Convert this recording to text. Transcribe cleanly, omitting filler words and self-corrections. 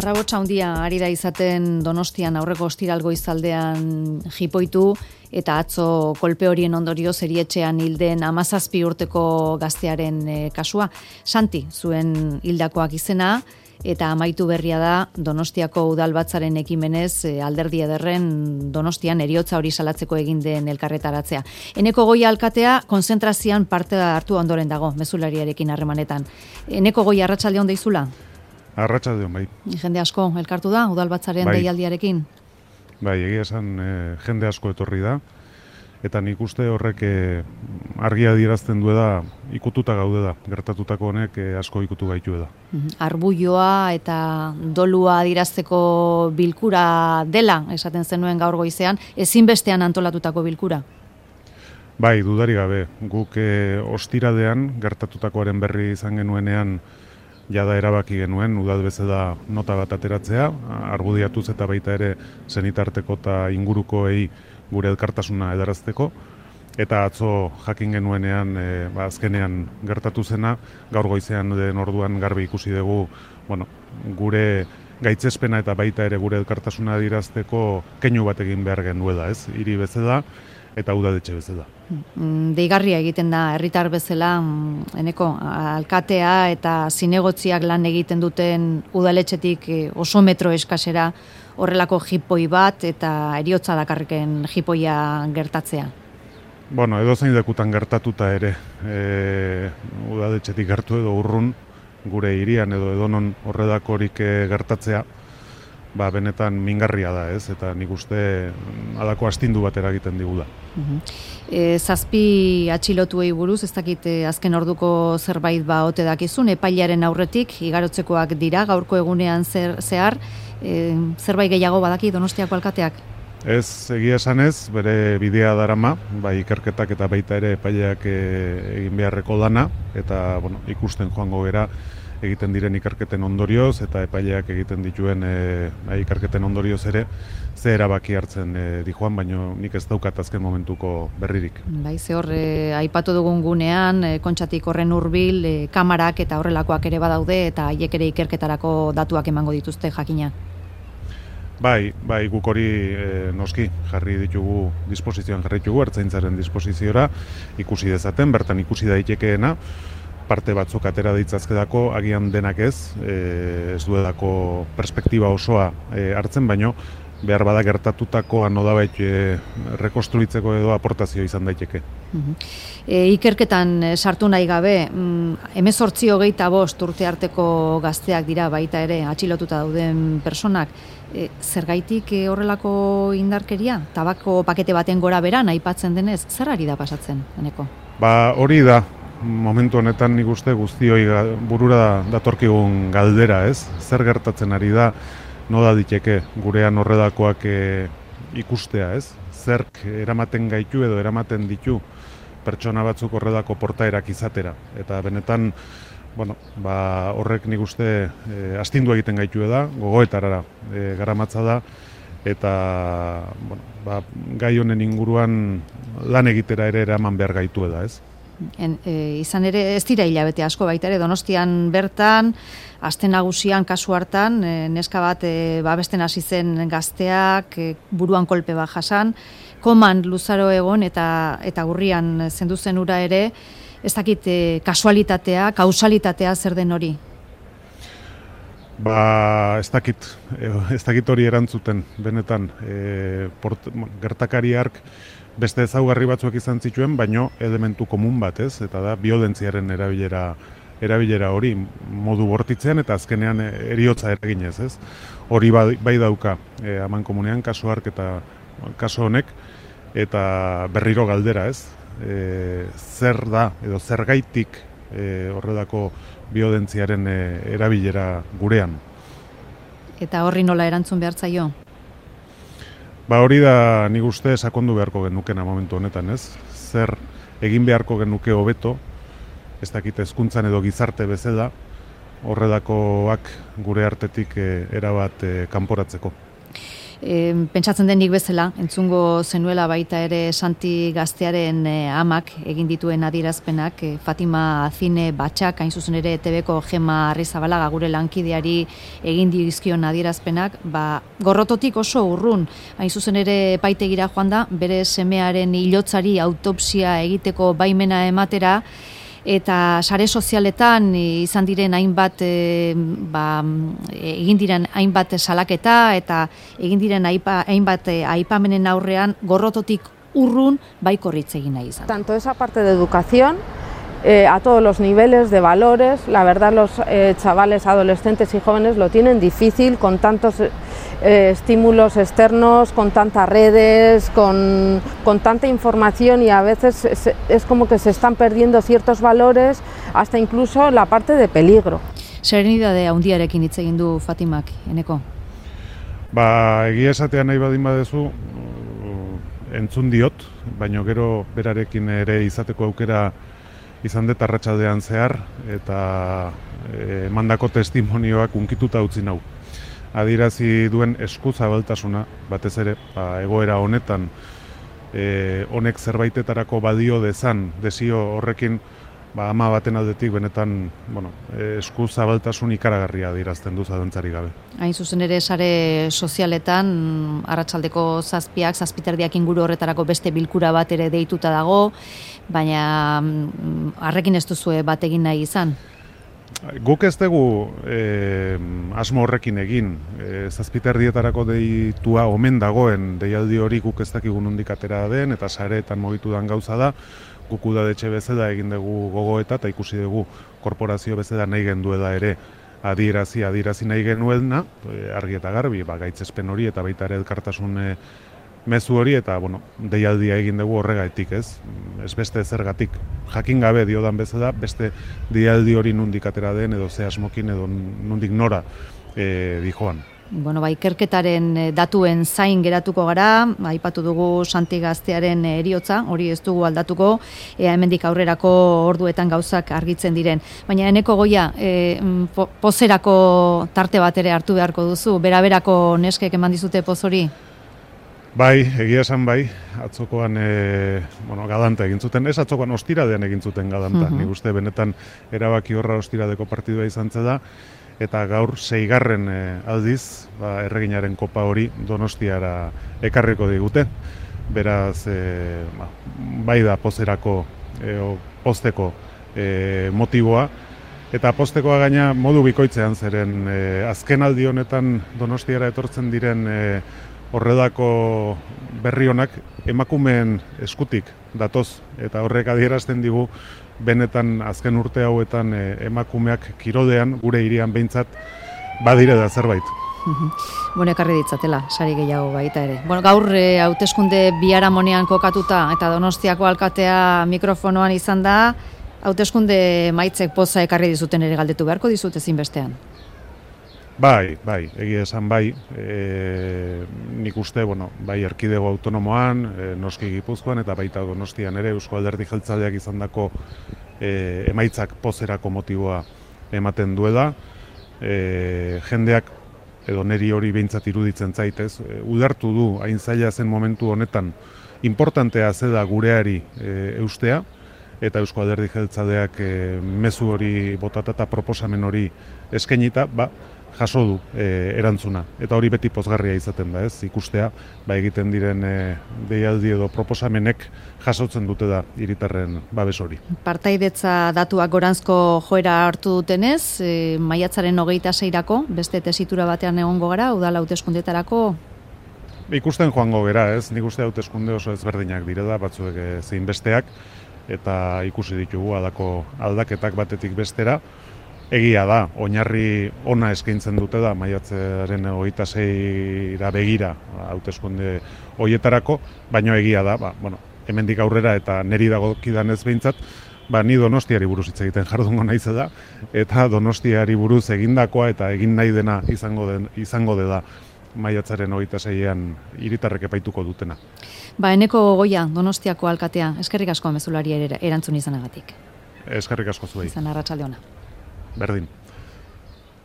Harrabotsa handia ari da izaten Donostian aurreko ostiral goizaldean jipoitu eta atzo kolpe horien ondorioz erietxean hilden 17 urteko gaztearen kasua. Santi zuen hildakoak izena eta amaitu berria da Donostiako udalbatzaren ekimenez alderdi ederren Donostian heriotza hori salatzeko egin den elkarretaratzea. Eneko Goia alkatea konzentrazioan parte hartu ondoren dago mezulariarekin harremanetan. Eneko Goia arratsaldeon deizula? Arratsaldeon, bai. Jende asko elkartu da udalbatzaren deialdiarekin? Bai, egia esan jende asko etorri da, eta nik uste horrek argia adierazten du da, ikututa gaude da, gertatutako honek asko ikutu gaitu da. Arbuioa eta dolua adierazteko bilkura dela, esaten zenuen gaur goizean, ezinbestean antolatutako bilkura? Bai, dudari gabe, guk ostiradean gertatutakoaren berri izan genuenean jada erabaki genuen, udal bezala nota bat ateratzea, argudiatuz eta baita ere senitarteko eta ingurukoei gure elkartasuna edarazteko, eta atzo jakin genuenean, azkenean gertatu zena, gaur goizean den orduan garbi ikusi dugu, gure gaitzespena eta baita ere gure elkartasuna adierazteko keinu bat egin behar genuela, ez? Hiri bezala eta udaletxe bezala. Deigarria egiten da herritar bezala, Eneko, alkatea eta zinegotziak lan egiten duten udaletxetik oso metro eskasera horrelako jipoi bat eta heriotza dakarriken jipoia gertatzea. Edozein lekutan gertatuta ere, udaletxetik gertu edo urrun, gure hirian edo edonon horrelakorik gertatzea, benetan mingarria da, ez? Eta nik uste halako astindu bat eragiten digula. 7 atxilotuei buruz, ez dakit azken orduko zerbait ote dakizun, epailearen aurretik, igarotzekoak dira, gaurko egunean zehar, zerbait gehiago badaki Donostiako alkateak? Ez, egia esanez, bere bidea darama, bai ikerketak eta baita ere epaileak egin beharreko lana, eta ikusten joango gera, egiten diren ikerketen ondorioz eta epaileak egiten dituen ikerketen ondorioz ere ze erabaki hartzen dijoan, baino nik ez daukat azken momentuko berririk. Bai, ze hor aipatu dugun gunean, Kontxatik horren hurbil, kamarak eta horrelakoak ere badaude eta haiek ere ikerketarako datuak emango dituzte jakina. Bai, guk hori noski jarri ditugu disposizioan jarri ditugu, ertzaintzaren disposiziora ikusi dezaten, bertan ikusi daitekeena, parte batzuk atera ditzazkedako, agian denak ez duedako perspektiba osoa hartzen, baino behar bada gertatutako anodabait rekonstruitzeko edo aportazio izan daiteke. Ikerketan sartu nahi gabe, 18-25 urte arteko gazteak dira baita ere atxilotuta dauden personak, zergaitik horrelako indarkeria? Tabako pakete baten gora beran aipatzen denez, zer ari da pasatzen, Eneko? Hori da. Momentu honetan nik uste guztioi burura datorkigun galdera, ez? Zer gertatzen ari da, nola diteke gurean horrelakoak ikustea, ez? Zerk eramaten gaitu edo eramaten ditu pertsona batzuk horrelako portaerak izatera. Eta benetan, horrek nik uste astindu egiten gaitu da, gogoetarara garamatza da, eta gai honen inguruan lan egitera ere eraman behar gaitu da, ez? Izan ere ez dira hilabete asko baita ere Donostian bertan, aste nagusian kasu hartan, neska bat babesten hasi zen gazteak, buruan kolpe bat jasan, koman luzaro egon eta urrian zendu zen ura ere, ez dakit kasualitatea, kausalitatea zer den hori? Ez dakit hori erantzuten, benetan, gertakariark beste ezaugarri batzuek izan zituen, baino elementu komun bat, ez? Eta da, biolentziaren erabilera hori modu bortitzean eta azkenean heriotza eraginez, ez? Hori bai dauka amankomunean kasu hark eta kasu honek, eta berriro galdera, ez? Zer da, edo zergaitik horrelako biolentziaren erabilera gurean. Eta horri nola erantzun behar zaio? Hori da nik uste sakondu beharko genukena momentu honetan, ez? Zer egin beharko genuke hobeto, ez dakit hezkuntzan edo gizarte bezala, horrelakoak gure artetik erabat kanporatzeko. Pentsatzen denik bezala, entzungo zenuela baita ere Santi gaztearen amak egin dituen adierazpenak, Fatima Zine Batxak, hain zuzen ere ETBko Gema Arrizabalaga gure lankideari egin dizkion adierazpenak, gorrototik oso urrun, hain zuzen ere epaitegira joan da, bere semearen hilotzari autopsia egiteko baimena ematera, eta sare sozialetan izan diren hainbat egin diren hainbat salaketa eta egin diren hainbat aipamenen aurrean gorrototik urrun baikorritz egin nahi izan. Tanto esa parte de educación a todos los niveles de valores, la verdad los chavales, adolescentes y jóvenes lo tienen difícil con tantos estímulos externos, con tantas redes, con tanta información y a veces es como que se están perdiendo ciertos valores, hasta incluso la parte de peligro. Serenidade handiarekin hitz egin du Fatimak, Eneko? Egia esatea nahi badin badezu, entzun diot, baina gero berarekin ere izateko aukera izan dut arratsaldean zehar, eta emandako testimonioak unkituta utzi nau. Adierazi duen eskuzabaltasuna, batez ere, egoera honetan, honek zerbaitetarako badio dezan, desio horrekin, ama baten aldetik benetan, eskuzabaltasun ikaragarria adierazten du zalantzari gabe. Hain zuzen ere sare sozialetan, arratsaldeko 7:00 inguru horretarako beste bilkura bat ere deituta dago, baina harrekin ez duzue bat egin nahi izan? Guk ez dugu asmo horrekin egin, 7:00 deitua omen dagoen deialdi hori guk ez dakigu nondik atera den eta sareetan mugitu den gauza da, guk udadetxe bezala egin dugu gogoeta eta ikusi dugu korporazio bezala nahi genduela ere adierazi nahi genuena, argi eta garbi, gaitzespen hori eta baita ere elkartasun mezu hori eta deialdia egin dugu horregatik, ez beste zergatik. Jakin gabe diodan bezala, beste deialdi hori nondik atera den edo ze asmokin edo nondik nora dijoan. Ikerketaren datuen zain geratuko gara, aipatu dugu Santi gaztearen heriotza, hori ez dugu aldatuko, hemendik aurrerako orduetan gauzak argitzen diren. Baina Eneko Goia, pozerako tarte bat ere hartu beharko duzu, beraberako neskek eman dizute poz hori? Bai, egia esan bai, atzokoan galanta egin zuten, ez atzokoan ostiradean egin zuten galanta, nik uste benetan erabaki horra ostiradeko partidua izan zeda, eta gaur 6. Aldiz, erreginaren kopa hori Donostiara ekarriko digute, beraz, bai da pozerako, pozteko motiboa, eta poztekoa gaina modu bikoitzean zeren, azken aldi honetan Donostiara etortzen diren horredako berri honak emakumeen eskutik datoz, eta horrek adierazten digu benetan azken urte hauetan emakumeak kirolean, gure hirian behintzat, badire da zerbait. Ekarri ditzatela, sari gehiago baita ere. Gaur hauteskunde biharamonean kokatuta eta Donostiako alkatea mikrofonoan izan da, hauteskunde maitzek poza ekarri dizuten ere galdetu beharko dizut ezinbestean. Bai, egia esan bai, nik uste, bai erkidego autonomoan, noski Gipuzkoan eta baita Donostian ere Eusko Alderdi Jeltzaleak izandako emaitzak pozerako motiboa ematen duela, jendeak edo neri hori behintzat iruditzen zaitez, ulertu du hain zaila zen momentu honetan importantea zeda gureari eustea, eta Eusko Alderdi Jeltzaleak mezu hori botata eta proposamen hori eskainita, jaso du erantzuna. Eta hori beti pozgarria izaten da, ez? Ikustea, egiten diren deialdi edo proposamenek jasotzen dute da hiritarren babes hori. Partaidetza datuak goranzko joera hartu dutenez, maiatzaren 26-rako, beste tesitura batean egongo gara, udal hauteskundetarako? Ikusten joango gera, ez? Nik uste hauteskunde oso ezberdinak direla, batzuek zein besteak, eta ikusi ditugu aldaketak batetik bestera. Egia da, oinarri ona eskaintzen dute da, maiatzaren 26-ra begira hauteskunde horietarako, baina egia da, hemendik aurrera eta neri dagokidan ez behintzat, ni Donostiari buruz hitz egiten jardungo naiz da, eta Donostiari buruz egindakoa eta egin nahi dena izango dela maiatzaren 26-an hiritarrek epaituko dutena. Eneko Goia, Donostiako alkatea, eskerrik asko mezulari erantzun izanagatik. Eskerrik asko zuei. Izan arratsalde ona. Berdin.